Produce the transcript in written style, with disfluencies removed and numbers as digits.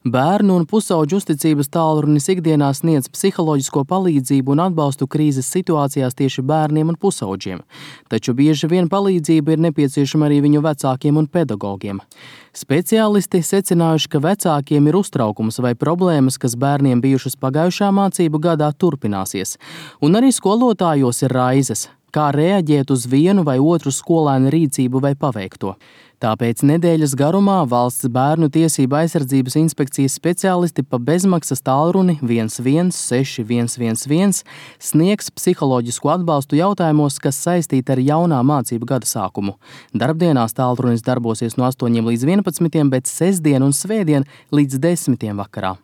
Bērnu un pusauģu uzticības tālrunis ikdienā sniedz psiholoģisko palīdzību un atbalstu krīzes situācijās tieši bērniem un pusauģiem. Taču bieži vien palīdzība ir nepieciešama arī viņu vecākiem un pedagogiem. Speciālisti secinājuši, ka vecākiem ir uztraukums vai problēmas, kas bērniem bijušas pagājušā mācību gadā, turpināsies. Un arī skolotājos ir raizes, kā reaģēt uz vienu vai otru skolēnu rīcību vai paveikto. Tāpēc nedēļas garumā Valsts bērnu tiesību aizsardzības inspekcijas speciālisti pa bezmaksas tālruni 116111 sniegs psiholoģisku atbalstu jautājumos, kas saistīti ar jaunā mācību gada sākumu. Darbdienās tālrunis darbosies no 8 līdz 11, bet sestdien un svētdien līdz 10 vakarā.